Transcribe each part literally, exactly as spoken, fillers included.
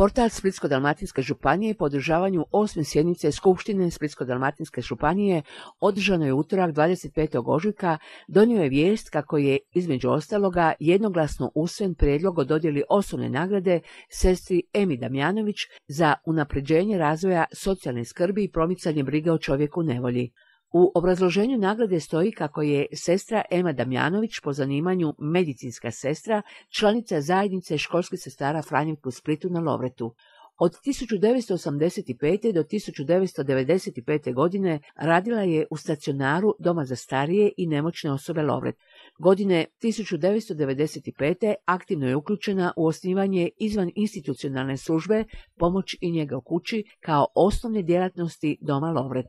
Portal Splitsko-dalmatinske županije po održavanju osme sjednice Skupštine Splitsko-dalmatinske županije održano je utorak dvadeset petog ožujka donio je vijest kako je, između ostaloga, jednoglasno usvojen prijedlog o dodjeli osobne nagrade sestri Emi Damjanović za unapređenje razvoja socijalne skrbi i promicanje brige o čovjeku u nevolji. U obrazloženju nagrade stoji kako je sestra Ema Damjanović, po zanimanju medicinska sestra, članica zajednice školskih sestara Franjevka u Splitu na Lovretu. Od tisuću devetsto osamdeset pete. do tisuću devetsto devedeset pete. godine radila je u stacionaru Doma za starije i nemoćne osobe Lovret. Godine tisuću devetsto devedeset pete. aktivno je uključena u osnivanje izvan institucionalne službe pomoć i njega u kući kao osnovne djelatnosti Doma Lovret.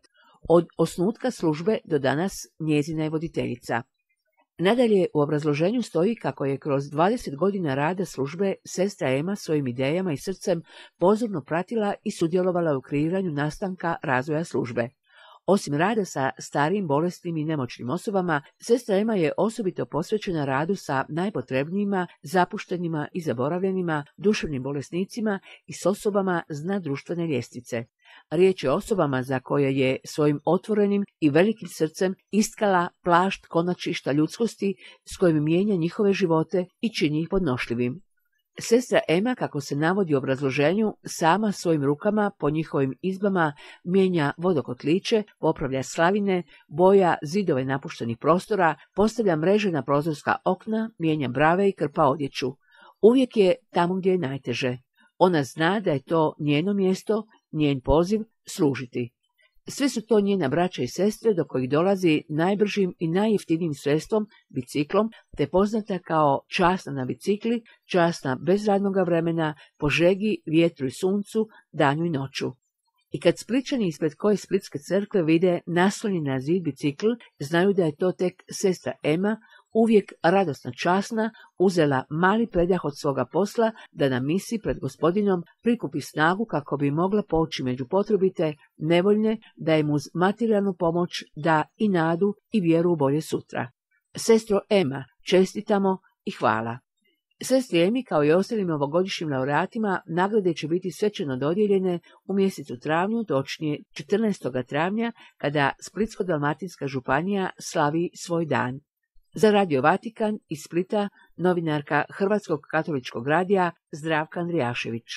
Od osnutka službe do danas njezina je voditeljica. Nadalje, u obrazloženju stoji kako je kroz dvadeset godina rada službe sestra Ema svojim idejama i srcem pozorno pratila i sudjelovala u kreiranju nastanka razvoja službe. Osim rada sa starijim, bolesnim i nemoćnim osobama, sestra Ema je osobito posvećena radu sa najpotrebnijima, zapuštenima i zaboravljenima, duševnim bolesnicima i s osobama s dna društvene ljestvice. Riječ je o osobama za koje je svojim otvorenim i velikim srcem istkala plašt konačišta ljudskosti s kojim mijenja njihove živote i čini ih podnošljivim. Sestra Ema, kako se navodi u obrazloženju, sama svojim rukama po njihovim izbama mijenja vodokotliće, popravlja slavine, boja zidove napuštenih prostora, postavlja mreže na prozorska okna, mijenja brave i krpa odjeću. Uvijek je tamo gdje je najteže. Ona zna da je to njeno mjesto, njen poziv služiti. Sve su to njena braća i sestre do kojih dolazi najbržim i najjeftinijim sredstvom, biciklom, te poznata kao časna na bicikli, časna bez radnoga vremena, po žegi, vjetru i suncu, danju i noću. I kad Splićani ispred koje Splitske crkve vide naslonjen na zid bicikl, znaju da je to tek sestra Ema, uvijek radosna časna, uzela mali predah od svoga posla da na misi pred Gospodinom prikupi snagu kako bi mogla poći među potrebite, nevoljne, da im uz materijalnu pomoć da i nadu i vjeru u bolje sutra. Sestro Ema, čestitamo i hvala. Sestri Emi, kao i ostalim novogodišnjim laureatima, nagrade će biti svečano dodijeljene u mjesecu travnju, točnije četrnaestog travnja, kada Splitsko-dalmatinska županija slavi svoj dan. Za Radio Vatikan iz Splita, novinarka Hrvatskog katoličkog radija Zdravka Andrijašević.